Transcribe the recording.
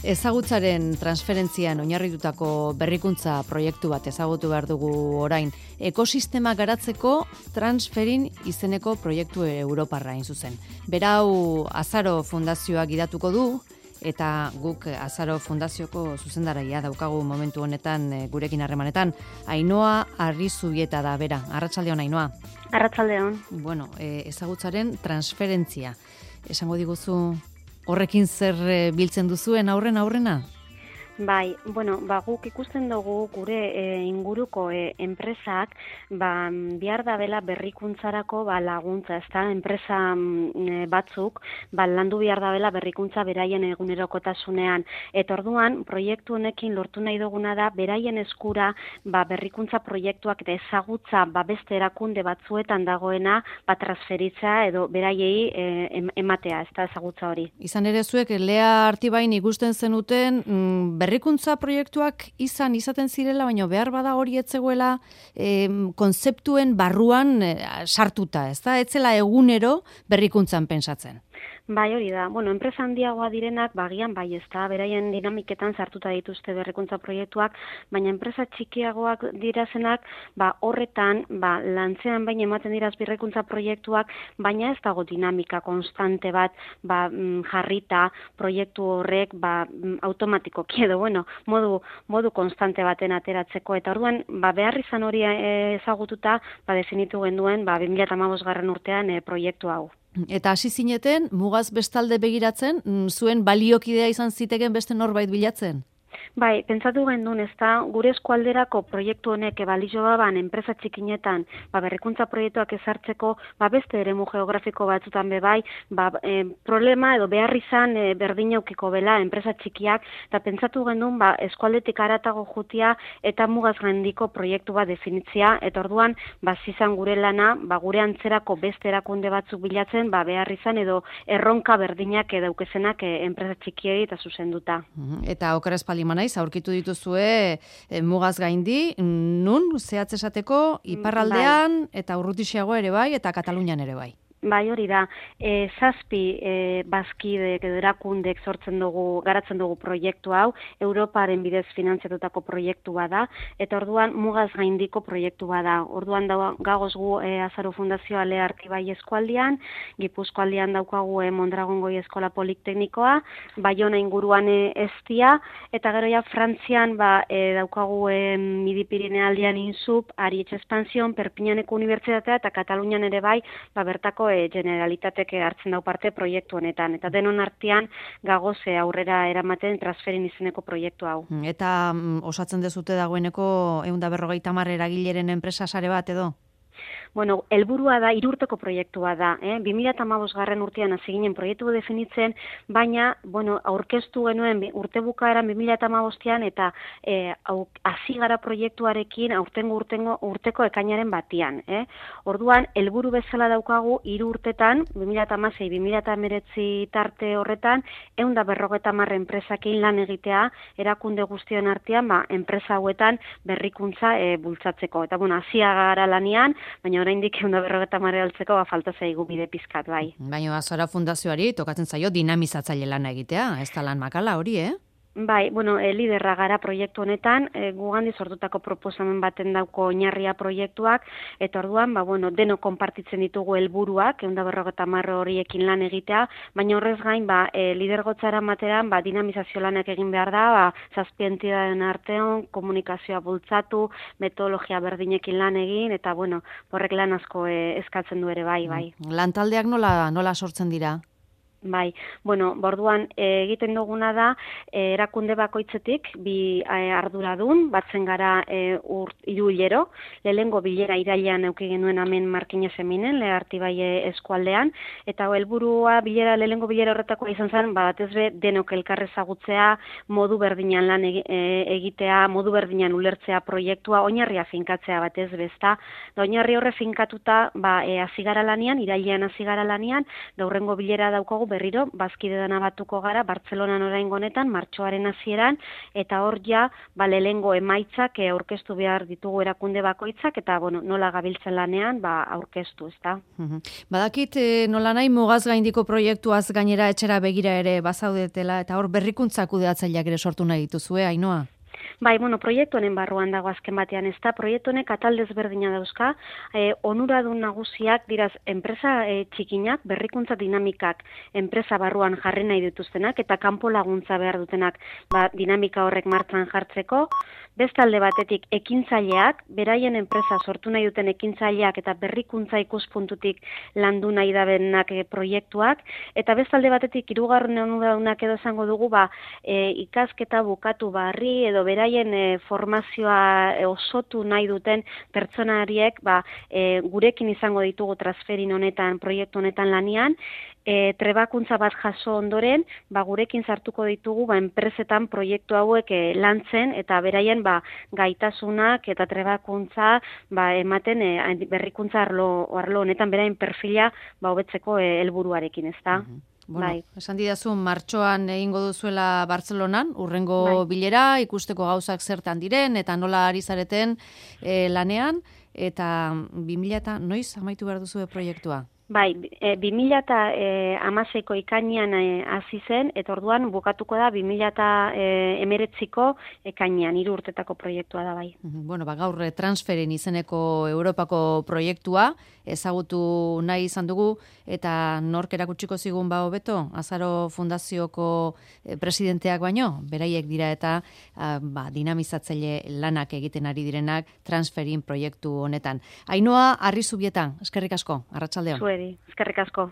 Ezagutzaren transferentzian oinarritutako berrikuntza proiektu bat ezagutu behar dugu orain. Ekosistema garatzeko Transferin izeneko proiektu europarra hain zuzen. Berau Azaro Fundazioak gidatuko du, eta guk Azaro Fundazioko zuzendaraia daukagu momentu honetan gurekin harremanetan. Ainhoa Arrizubieta da, bera. Arratsaldeon, Ainhoa. Arratsaldeon. Bueno, ezagutzaren transferentzia. Esango diguzu horrekin zer biltzen duzuen aurrena? Bai, guk ikusten dugu gure inguruko enpresak behar dabela berrikuntzarako laguntza, ezta? Enpresa batzuk landu behar dabela berrikuntza beraien egunerokotasunean. Eta orduan, proiektu honekin lortu nahi duguna da beraien eskura berrikuntza proiektuak eta ezagutza beste erakunde batzuetan dagoena transferitza edo beraiei ematea, ezta ezagutza hori. Izan ere zuek Lea Artibain ikusten zenuten berrikuntza proiektuak izaten zirela, baina behar bada hori etzegoela konzeptuen barruan sartuta, ezta? Etzela egunero berrikuntzan pentsatzen. Bai, hori da. Enpresa handiagoa direnak bagian bai, ezta, beraien dinamiketan sartuta dituzte berrikuntza proiektuak, baina enpresa txikiagoak dirazenak, horretan, lantzean baina ematen diraz berrikuntza proiektuak, baina ez dago dinamika konstante bat, jarrita proiektu horrek, automatikoki edo, modu konstante baten ateratzeko, eta orduan, behar izan hori ezagututa, definitu genduen, 2015 urtean proiektu hau. Eta hasi zineten, mugaz bestalde begiratzen, zuen baliokidea izan ziteken beste norbait bilatzen? Bai, pentsatu gendun, ezta, gure eskualderako proiektu honek balio baban enpresa txikinetan, berrikuntza proiektuak ezartzeko, beste eremu geografiko batzutan bai, problema edo behar izan berdin aukiko bela enpresa txikiak, eta pentsatu gendun, eskualdetik haratago jutia eta mugaz gaindiko proiektu bat definitzia, eta orduan, zizan gure lana, gure antzerako beste erakunde batzuk bilatzen, behar izan edo erronka berdinak edaukezenak enpresa txikiei eta zuzenduta. Eta okeraz palima naiz, aurkitu dituzue mugaz gaindi, nun zehatz esateko iparraldean eta urrutixeago ere bai, eta Katalunian ere bai. Bai, hori da, 7 bazkidek edo erakundek garatzen dugu proiektu hau, Europaren bidez finantziatutako proiektu bada, eta orduan mugaz gaindiko proiektu bada. Orduan gagoz gu Azaro Fundazioa Lea Artibai eskualdian, Gipuzkoaldian daukagu Mondragon Goi Eskola Politeknikoa, Baiona inguruan Eztia, eta gero ja Frantzian daukagu Midi Pirinealdean Insup, Arietxe Espansion, Perpiñaneko Unibertsitatea eta Katalunian ere bai, bertako Generalitatek hartzen dau parte proiektu honetan. Eta denon artean gagoz aurrera eramaten Transferin izeneko proiektu hau. Eta osatzen dezute dagoeneko 150 eragileren enpresa sare bat edo? Helburua da, 3 urteko proiektua da. 2015 urtean hasi ginen proiektu definitzen, baina, aurkeztu genuen urte bukaeran 2015an eta hasi gara proiektuarekin urteko ekainaren batian. Orduan, helburu bezala daukagu 3 urtetan, 2016-2019 tarte horretan, 150 enpresakin lan egitea, erakunde guztion artean, enpresa hauetan berrikuntza bultzatzeko. Eta, hasia gara lanian, baina oraindik 150 altzeko falta zaigu bide pizkat bai. Baina Azaro Fundazioari tokatzen zaio dinamizatzaile lana egitea, ez da lan makala hori, Bai, liderra gara proiektu honetan, gugandi sortutako proposamen baten dauko oinarria proiektuak, eta orduan, deno konpartitzen ditugu helburuak, 150 horiekin lan egitea, baina horrez gain, lidergotzara materan, dinamizazio lanak egin behar da, 7 entitateen artean, komunikazioa bultzatu, metodologia berdinekin lan egin, eta horrek lan asko eskatzen du ere bai. Lantaldeak nola sortzen dira? Bai, borduan egiten duguna da, erakunde bakoitzetik, 2 arduradun, batzen gara 3 hilero, lehengo bilera irailean eduki genuen hemen Markinez Eminen, Lea Artibai eskualdean, eta lehengo bilera horretakoa izan zen, batez be, denok elkar ezagutzea, modu berdinan lan egitea, modu berdinan ulertzea proiektua, oinarria finkatzea batez bezta, da oinarri horre finkatuta, hasi gara lanian, irailean hasi gara lanian, da hurrengo bilera daukagu berriro bazkide dana batuko gara Bartzelonan oraingo honetan martxoaren hasieran eta hor ja lehengo emaitzak aurkeztu behar ditugu erakunde bakoitzak eta nola gabiltzen lanean aurkeztu, ezta. Badakit nola nahi mugaz gaindiko proiektuaz gainera etxera begira ere bazaudetela eta hor berrikuntza kudeatzaileak ere sortu nahi dituzue, Ainhoa? Bai, proiektu honen barruan dago azken batean, ez da, proiektu honek atal desberdina dauzka, onuradun nagusiak diraz enpresa txikinak, berrikuntza dinamikak enpresa barruan jarri nahi dituztenak, eta kanpo laguntza behar dutenak dinamika horrek martxan jartzeko, bestalde batetik ekintzaileak, beraien enpresa sortu nahi duten ekintzaileak eta berrikuntza ikuspuntutik landu nahi dabenak proiektuak, eta bestalde batetik hirugarren onuradunak edo esango dugu, ikasketa bukatu barri edo beraien formazioa osotu nahi duten pertsonariek gurekin izango ditugu transferin honetan, proiektu honetan lanian, trebakuntza bat jaso ondoren, gurekin sartuko ditugu enpresetan proiektu hauek lantzen eta beraien gaitasunak eta trebakuntza ematen berrikuntza arlo honetan beraien perfila hobetzeko helburuarekin, ezta? Bueno, esan didazu, martxoan egingo duzuela Bartzelonan, urrengo bilera, ikusteko gauzak zertan diren, eta nola ari zareten lanean, eta 2000 noiz amaitu behar duzu proiektua? Bai, 2016ko ikainean hasi zen, eta orduan bukatuko da 2019ko ekainean, 3 urtetako proiektua da bai. Bueno, gaur transferin izeneko Europako proiektua ezagutu nahi izan dugu, eta nork erakutsiko zigun hobeto, Azaro Fundazioko presidenteak baino, beraiek dira eta dinamizatzaile lanak egiten ari direnak transferin proiektu honetan. Ainhoa Arrizubieta, eskerrik asko, arratsaldeon. Eskerrik asko.